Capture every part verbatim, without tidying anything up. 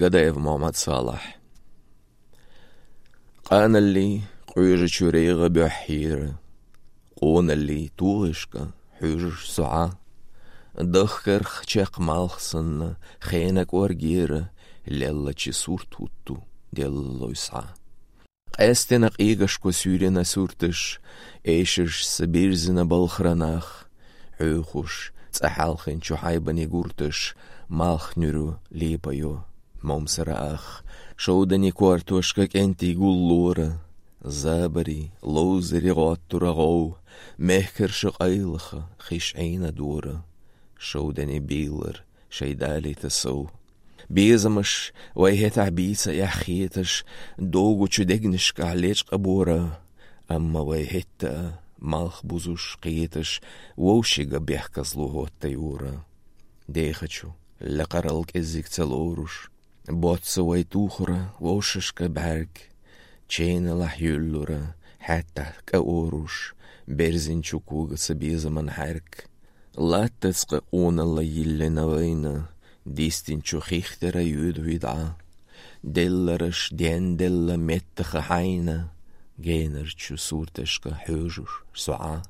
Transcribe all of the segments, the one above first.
Гадаев Мухьаммад-Салахь. Къаналли къуьжачу регӀа бухьера, къоналли тугӀешка хьуьжаш суьгӀа. Дахкарх чекх малх санна, хенак оргера, леллачи сурт хӀутту деллалой схьа. Къаьстина къегашко суьйрина сурташ, эшаш са бирзина балхара нах, хьуьйхуш цӀа хьалхинчу хьайбани гурташ, малх нуьру лепайо момсара ах, шовдани кортошка кӀентий гуллора, забари, ловзари гӀоттура гӀов, мехкарша къайлаха хиш Ӏийна дора, шовдани бийлар шайдалита сов. Безамаш вай хӀетахь бийца эхь хеташ, догучу дегнашкахь лечкъа бора, амма вай хӀетта а малх бузуш кхеташ, вовшига бехказло хӀотта юра. Дехачу лакхарал кӀеззиг ца лоруш, боцца вай тухура вовшашка бӀаьрг, ченалахь юьллура, хьаьттахь кӀа оруш, берзинчу когаца безаман хьаьрг. Латтаца къа къоналла йиллина вайна, дистинчу хих тера юьду хӀидӀа. Деллараш денделла меттаха хьайна, генарчу сурташка хьуьжуш суьгӀа.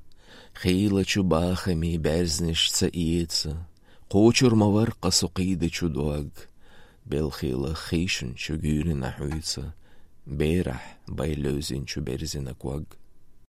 Хийлачу бахамий баьрзнаш ца эца, кхочур ма варккха со кхийдачу дог. Белхила хийшинчу гуьйрина хьуьйца, берахь бай левзинчу берзина ког.